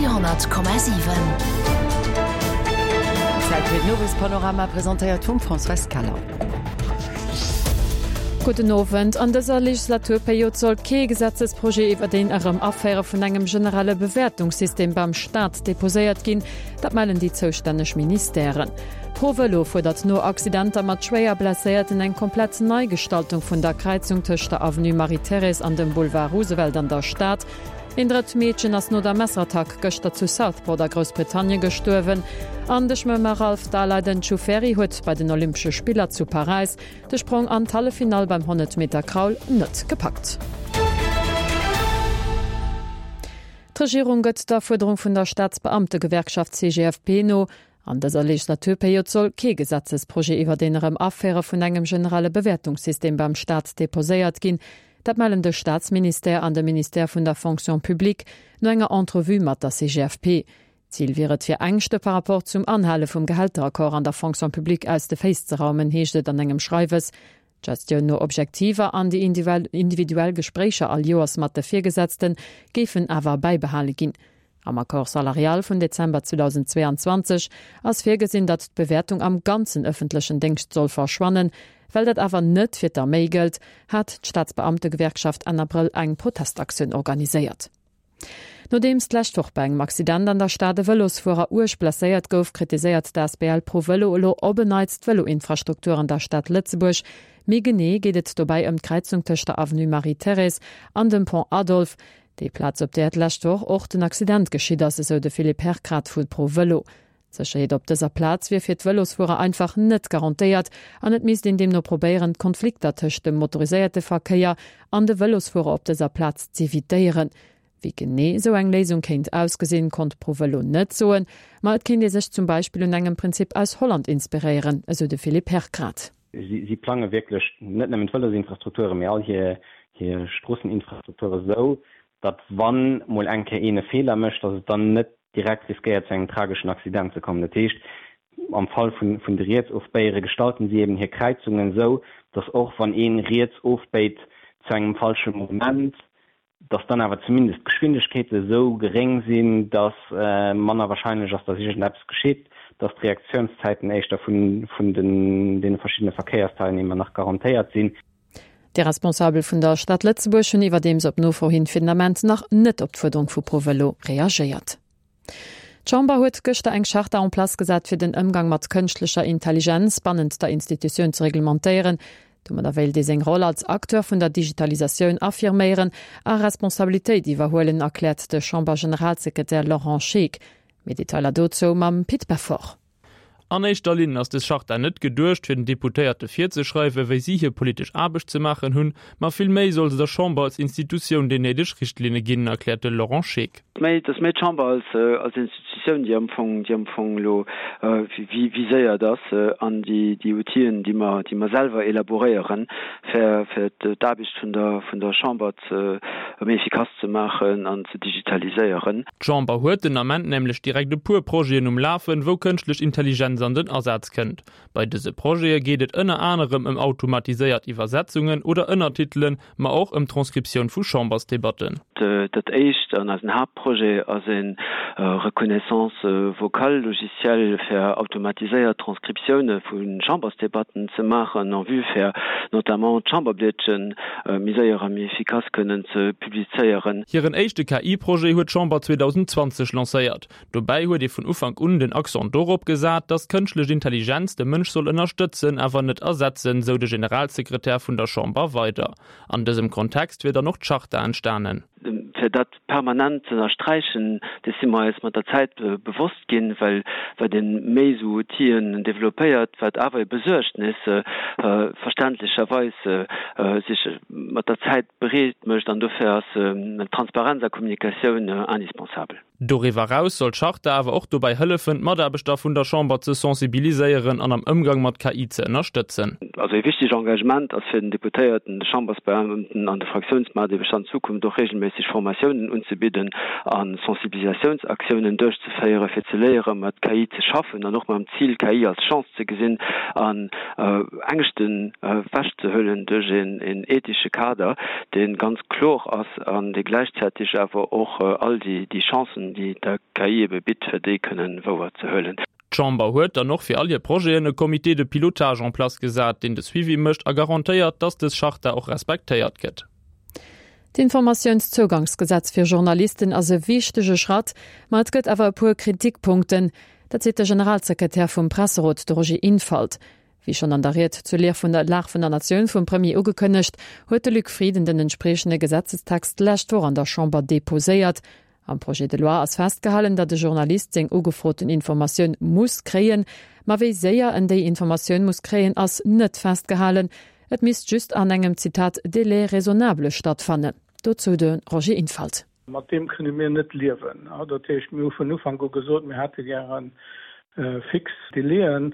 Radio 10,7. Zäit fir den Owespanorama, presentéiert vum Françoise Keller. Gudden Owend. An dëser Legislaturperiod soll kee Gesetzesprojet iwwer een erëm Aféiere vun engem generelle Bewäertungssystem beim Staat deposéiert ginn. Dat mellen déi zoustänneg Ministèren. ProVëlo fuerdert no Accidenter mat schwéier Blesséierten eng komplett Neigestaltung vun der Kräizung tëscht der Avenue Marie-Thérèse an dem Boulevard Roosevelt an der Stad. Een drëtt Meedchen ass no der Messerattack gëschter zu Southport a Groussbritannien gestuerwen. An de Schwëmmer Ralph Daleiden Ciufferi huet bei den Olympesche Spiller zu Paräis de Sprong an d'Halleffinall beim 100 Meter Kraul net gepackt. D'Regierung gëtt der Fuerderung vun der Staatsbeamtegewerkschaft CGFP no. An dëser Legislaturperiod soll kee Gesetzesprojet iwwer een erëm Aféiere vun engem generelle Bewäertungssystem beim Staat deposéiert ginn. Dat mellen de Staatsministère an de Ministère vun der Fonction publique no enger Entrevue mat der CGFP. Zil wier et fir Ängschte par rapport zum Anhale vum Gehälteraccord an der Fonction publique aus de Féiss ze raumen, heescht et an engem Schreiwes. D'Gestioun no Objektiver an déi individuell Gespréicher all Joers mat de Virgesetzte géifen awer bäibehale ginn. Am Accord salarial vun Dezember 2022 ass virgesinn, datt d'Bewäertung am ganzen ëffentlechen Déngscht soll verschwannen. Well dat awer net fir d'Arméi gëllt, hat d'Staatsbeamtegewerkschaft Enn Abrëll eng Protestaktioun organiséiert. Nodeems d'lescht Woch bei engem Accident an der Stad e Vëlosfuerer uerg blesséiert gouf, kritiséiert d'ASBL Pro Vëlo elo op en Neits d'Vëloinfrastruktur an der Stad Lëtzebuerg. Méi genee geet et dobäi ëm d'Kräizung tëscht der Avenue Marie-Thérèse an dem Pont Adolphe. Déi Plaz, op där d'lescht Woch och den Accident geschitt ass, esou de Philippe Herkrath vu Pro Vëlo. D'Sécherheet op dëser Plaz wier fir d'Vëlosfuerer einfach net garantéiert an et misst een deemno probéieren, d'Konflikter tëscht dem motoriséierte Verkéier an de Vëlosfuerer op dëser Plaz z'evitéieren. Wéi genee esou eng Léisung kéint ausgesinn, konnt Pro Vëlo net soen, ma et kéint ee sech zum Beispill un engem Prinzip aus Holland inspiréieren, esou de Philippe Herkrath. Si plange wierklech net nëmmen d'Vëlosinfrastrukturen, mee all hir Stroosseninfrastrukture sou, datt wann mol eng Kéier een e Feeler mécht, datt et dann net direkt riskéiert zu engem trageschen Accident ze kommen. Dat heescht, am Fall vun de Rietsofbéiere gestalten si eben hir Kräizungen esou, datt och wann ee riets ofbéit zu engem falsche Moment, dass dann awer zumindest d'Geschwindegkeete esou geréng sinn, dass manner wahrscheinlech ass, dass iergendeppes geschitt, dass d'Reaktiounszäiten éischter vun deene verschiddene Verkéiersteilnehmer nach garantéiert sinn. Déi Responsabel vun der Stad Lëtzebuerg hunn iwwerdeems op Nofro hin fir den Ament nach net op d'Fuerderung vu ProVëlo reagéiert. D'Chamber huet gëschter eng Charta en place gesat, fir den Ëmgang mat kënschtlecher Intelligenz bannent der Institutioun ze reglementéieren. Domadder wéilt ee seng Roll als Acteur vun der Digitalisatioun affirméieren a Responsabilitéit iwwerhuelen, erkläert de Chamber-Generalsekretär Laurent Scheeck. Méi Detailer dozou mam Pit Beffort. An éischter Linn ass des Charta net geduecht, fir den Deputéierte virzeschreiwen, wéi si hir politesch Aarbecht ze maachen hunn, ma villméi soll se der Chamber als Institutioun déi néideg Richtlinne ginn, erkläert de Laurent Scheeck. Méi, et ass méi d'Chamber als, als Institutioun, déi am Fong, déi am Fong elo viséiert ass an déi, déi Outill'en, déi mer, déi mer selwer elaboréieren, fir, fir d'Aarbecht vun der, vun der Chamber ze méi efficace ze maachen an ze digitaliséieren. D'Chamber huet den Ament nämlech direkt e puer Projeten um Lafen, wou kënschtlech Intelligenz an den Asaz kënnt. Bei dëse Projete geet et ënner anerem ëm automatiséiert Iwwersetzungen oder Ënnertitelen, ma och ëm d'Transkriptioun vu Chambersdebatten. Dat éischt an eisen Haaptprojet ass e Reconnaissance vocale Logiciel fir automatiséiert Transkriptioune vu Chambersdebatten ze maachen en vue fir notamment d'Chamberblietchen méi séier a méi efficace kënnen ze publizéieren. Hiren éischte KI-Projet huet d'Chamber 2020 lancéiert. Dobäi huet ee vun Ufank un den Accent dorop gesat, datt d'kënschtlech Intelligenz de Mënsch soll ënnerstëtzen, awer net ersetzen, sou de Generalsekretär vun der Chamber weider. An dësem Kontext wier dann och d'Charta entstanen. Fir dat permanent ze ënnersträichen, dees si mer eis mat der Zäit bewosst ginn, well wat ee méi esou Outill'en développéiert, wat awer e Besuergtnis verständlecherweis sech mat der Zäit breet mécht an dofir ass Transparenz a Kommunikatioun indispensabel. Doriwwer eraus soll d'Charta awer och dobäi hëllefen, d'Mataarbechter vun der Chamber ze sensibiliséieren an am Ëmgang mat KI ze ënnerstëtzen. Also ee wichtegt Engagement ass fir den Deputéierten, de Chambersbeamten an de Fraktiounsmataarbechter an Zukunft och regelméisseg Formatiounen unzebidden a Sensibilisatiounsaktiounen duerchzeféieren, fir ze léieren, mat KI ze schaffen an och mam Zil, KI als Chance ze gesinn an Ängschten ewechzehuelen duerch een ethesche Kader, dee ganz kloer ass an dee gläichzäiteg awer och all déi Chancen. Chancen, déi der KI ebe bitt, fir déi kënnen wouer ze huelen. D'Chamber huet dann och fir all hir Projeten e Comité de pilotage en place gesat, deen de Suivi mécht a garantéiert, dass dës Charta och respektéiert gëtt. D'Informatiounszougangsgesetz fir Journalisten ass e wichtege Schratt, ma et gëtt awer e puer Kritikpunkten. Dat seet de Generalsekretär vum Presserot, de Roger Infalt. Wéi schonn an der Ried zur Lag vun der Lag vun der Natioun vum Premier ugekënnegt, huet de Luc Frieden den entspriechende Gesetzestext d'lescht Woch an der Chamber deposéiert. Am Projet de loi ass festgehalen, datt e Journalist seng ugefroten Informatioun muss kréien. Ma wéi séier en déi Informatioun muss kréien, ass net festgehalen. Et misst just an engem, Zitat, délai raisonnable stattfannen. Dozou de Roger Infalt. Mat deem kënne mir net liewen. Dat heescht, mir hu vun Ufank u gesot, mir hätte gäre fix Délaiën.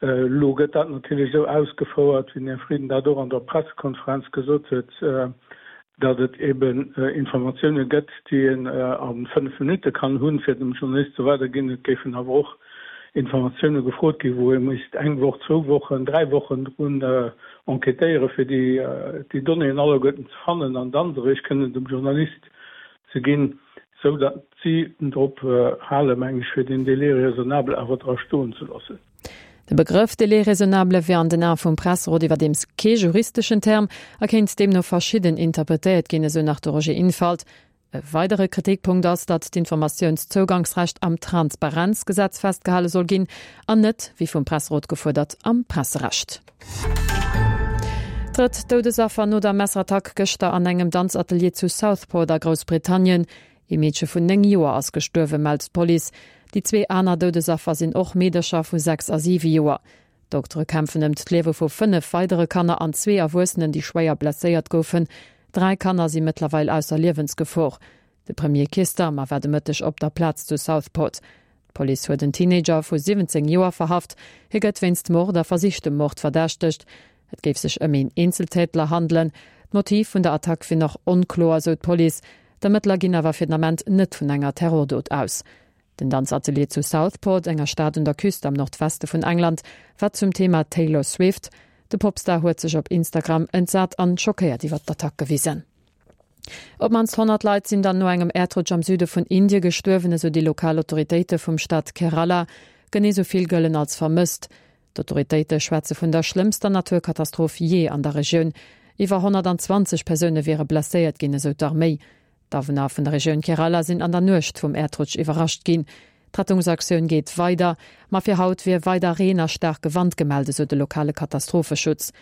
Elo gëtt dat natierlech esou ausgefouert, wéi den Här Frieden dat och an der Pressekonferenz gesot huet, datt et eben Informatioune gëtt, déi een a 5 Minutte kann hunn, fir dem Journalist ze weiderginn. Et géifen awer och Informatioune gefrot ginn, wou ee misst eng Woch, zwou Wochen, dräi Wochen drun enquêtéieren, fir déi Donnéeën alleguerten ze fannen an dann se eréischt kënnen dem Journalist ze ginn, sou datt si drop halen, meng ech, fir deen Délai raisonnable awer dra stoen ze loossen. De Begrëff Délai raisonnable wier an den Ae vum Presserot iwwerdeems kee juristeschen Term a kéint deemno verschidden interpretéiert ginn, esou nach de Roger Infalt. E weidere Kritikpunkt ass, datt d'Informatiounszougangsrecht am Transparenzgesetz festgehale soll ginn an net, wéi vum Presserot gefuerdert, am Presserecht. Drëtt Doudesaffer no der Messerattack gëschter an engem Danzatelier zu Southport a Groussbritannien. Ee Meedche vun 9 Joer ass gestuerwen, mellt d'Police. Déi zwee aner Doudesaffer sinn och Meedercher vu 6 a 7 Joer. D'Doktere kämpfen ëm d'Liewe vu 5 weidere Kanner an zwee Erwuessenen, déi schwéier blesséiert goufen. Dräi Kanner si mëttlerweil ausser Liewensgefor. De Premier Keir Starmer war de Mëtteg op der Plaz zu Southport. D'Police huet en Teenager vu 17 Joer verhaft. Hie gëtt wéinst Mord a versichtem Mord verdächtegt. Et géif sech ëm een Eenzeltätler handelen. D'Motiv vun der Attack wier nach onkloer, sou d'Police. D'Ermëttler ginn awer fir den Ament net vun enger Terrordot aus. Den Danzatelier zu Southport, enger Stad un der Küst am Nordweste vun England, war zum Thema Taylor Swift. De Popstar huet sech op Instagram entsat an schockéiert iwwer d'Attack gewisen. Op d'mannst 100 Leit sinn dann no engem Äerdrutsch am Süde vun Indie gestuerwen, esou déi lokal Autoritéite vum Staat Kerala. Genee sou vill gëllen als vermësst. D'Autoritéite schwätze vun der schlëmmster Naturkatastroph jee an der Regioun. Iwwer 120 Persoune wiere blesséiert ginn, esou d'Arméi. D'Awunner vun der Regioun Kerala sinn an der Nuecht vum Äerdrutsch iwwerrascht ginn. D'Rettungsaktioun geet weider, ma fir haut wier weider Reen a staarke Wand gemellt, esou de lokale Katastropheschutz.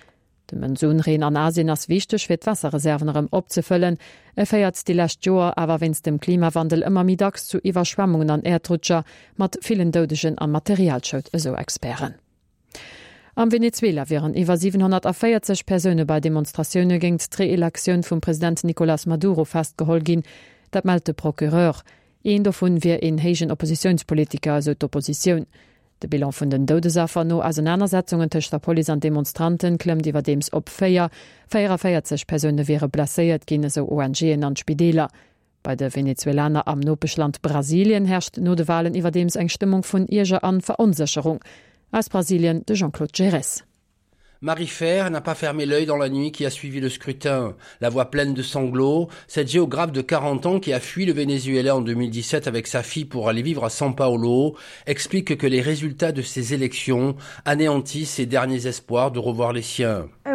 De Monsunreen an Asien ass wichteg fir d'Waasserreserven erëm opzefëllen. E féiert déi lescht Joer awer wéinst dem Klimawandel ëmmer méi dacks zu Iwwerschwemmungen an Äerdrutscher mat villen Doudegen a Materialschoud, esou Experten. Am Venezuela wieren iwwer 740 Persoune bei Demonstratioune géingt d'Reelektioun vum President Nicolas Maduro festgeholl ginn. Dat mellt de Procureur. Een dovun wier een héijen Oppositiounspolitiker, esou d'Oppositioun. De Bilan vun den Doudesaffer no Ausenanersetzungen tëscht der Police an Demonstranten klëmmt iwwerdeems op 4. 44 Persoune wiere blesséiert ginn, esou ONGen an d'Spideeler. Bei de Venezuelaner am Nopeschland Brasilien herrscht no de Walen iwwerdeems eng Stëmmung vun Ierger an Veronsécherung. Aus Brasilien de Jean-Claude Gerez. Marie Fer n'a pas fermé l'œil dans la nuit qui a suivi le scrutin. La voix pleine de sanglots, cette géographe de 40 ans qui a fui le Venezuela en 2017 avec sa fille pour aller vivre à São Paulo explique que les résultats de ces élections anéantissent ses derniers espoirs de revoir les siens. Je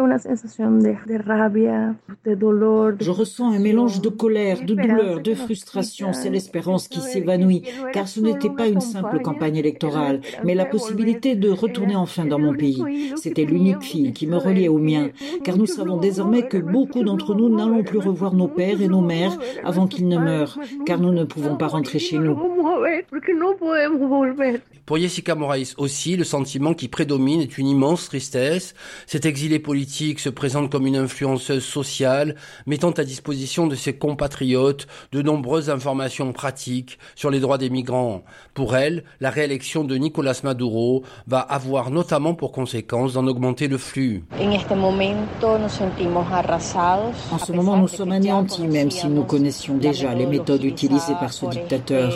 ressens un mélange de colère, de douleur, de frustration, c'est l'espérance qui s'évanouit, car ce n'était pas une simple campagne électorale, mais la possibilité de retourner enfin dans mon pays. C'était l'unique fille qui me reliait au mien, car nous savons désormais que beaucoup d'entre nous n'allons plus revoir nos pères et nos mères avant qu'ils ne meurent, car nous ne pouvons pas rentrer chez nous. Pour Jessica Moraes aussi, le sentiment qui prédomine est une immense tristesse. Cette exilée politique se présente comme une influenceuse sociale, mettant à disposition de ses compatriotes de nombreuses informations pratiques sur les droits des migrants. Pour elle, la réélection de Nicolas Maduro va avoir notamment pour conséquence d'en augmenter le flux. En ce moment, nous sommes anéantis, même si nous connaissions déjà les méthodes utilisées par ce dictateur.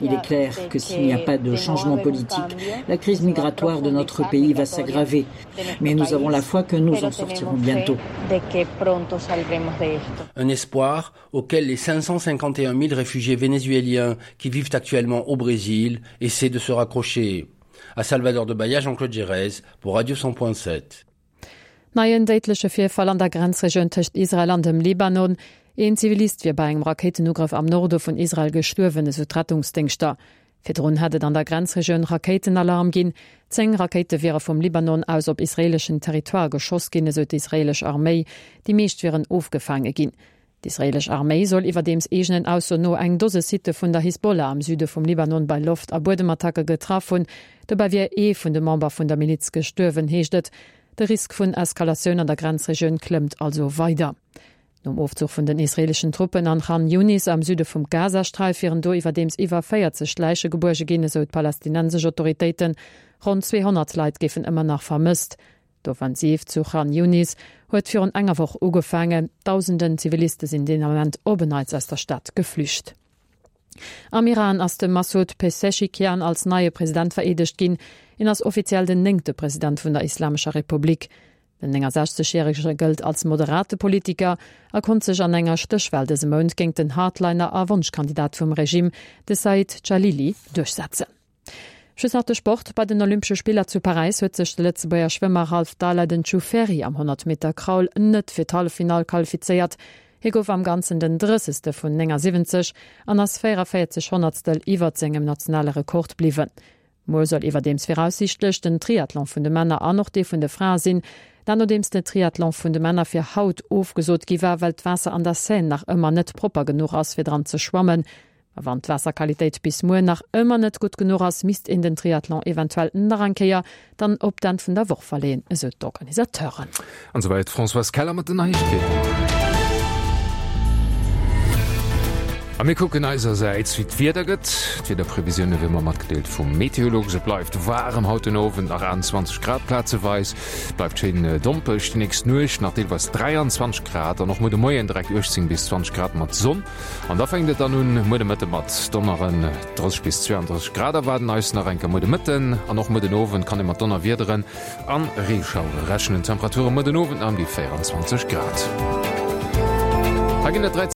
Il est clair que s'il n'y a pas de changement politique, la crise migratoire de notre pays va s'aggraver. élevée. Mais nous avons la foi que nous en sortirons bientôt. Un espoir auquel les 551 000 réfugiés vénézuéliens qui vivent actuellement au Brésil essaient de se raccrocher. À Salvador de Bahia, Jean-Claude Gérez pour Radio 100.7. Neien déidleche Virfall an der Grenzregioun tëscht Israel an dem Libanon. Een Zivilist wier bei engem Rakéitenugrëff am Norde vun Israel gestuerwen, esou d'Rettungsdéngschter. Virdrun hätt et an der Grenzregioun Rakéitenalarm ginn. 10 Rakéite wiere vum Libanon aus op israeeleschen Territoire geschoss ginn, esou d'israeelesch Arméi. Déi meescht wieren ofgefaange ginn. D'israeelesch Arméi soll iwwerdeems eegenen Aussoen no eng Dose Sitte vun der Hisbollah am Süde vum Libanon bei Loft a Buedemattacke getraff hunn. Dobäi wier ee vun de Member vun der Miliz gestuerwen, heescht et. De Risk vun Eskalatioun an der Grenzregioun klëmmt also weider. Nom Ofzuch vun den israeeleschen Truppen an Khan Younis am Süde vum Gazasträif wieren do iwwerdeems iwwer 40 Läiche gebuerge ginn, esou d'palästinensesch Autoritéiten. Ronn 200 Leit géifen ëmmer nach vermësst. D'Offensiv zu Khan Younis huet virun enger Woch ugefaangen. Dausenden Ziviliste sinn deen Ament op en Neits aus der Stad geflücht. Am Iran ass de Massoud Pezeshkian als neie President vereedegt ginn. Hien ass offiziell den néngte President vun der Islamescher Republik. Den 69 järege gëllt als moderate Politiker a konnt sech an enger Stéchwal dëse Mount géint den Hardliner a Wonschkandidat vum Regime, de Said Jalili, duerchsetzen. Just nach de Sport, Bei den Olympesche Spiller zu Paräis huet sech de Lëtzebuerger Schwëmmer Ralph Daleiden Ciufferi am 100 Meter Kraul net fir d'Halleffinall qualifizéiert. Hie gouf am Ganzen den 30. vun 79 an ass 44 Honnertstel iwwert sengem nationale Rekord bliwwen. Muer soll iwwerdeems viraussiichtlech den Triathlon vun de Männer an och dee vun de Frae sinn. Dat nodeems den Triathlon vun de Männer fir haut ofgesot gi war, well d'Waasser an der Seine nach ëmmer net propper genuch ass, fir dran ze schwammen. A wann d'Waasserqualitéit bis muer nach ëmmer net gutt genuch ass, misst een den Triathlon eventuell nach eng Kéier dann op d'Enn vun der Woch verleeën, esou d'Organisateuren. An souwäit d'Françoise Keller mat den Neiegkeeten. A mir kucken eisersäits, wéi d'Wieder gëtt. D'Wiederprevisioune wéi ëmmer matgedeelt vum Meteolux. Et bleift waarem haut den Owend, nach 28 Grad plazeweis. Bleift schéin dompeg déi nächst Nuecht, nach deelweis 23 Grad an och muer de Moien direkt 18 bis 20 Grad mat Sonn. An da fänkt et dann un muer de Mëtte mat Donneren. 30 bis 32 Grad erwaarden eis nach eng Kéier muer de Mëtten an och muer den Owend kann ee mat Donnerwiederen an Reeschauere rechnen. Temperature muer den Owend nach ëm déi 24 Grad. Hei ginn et 13.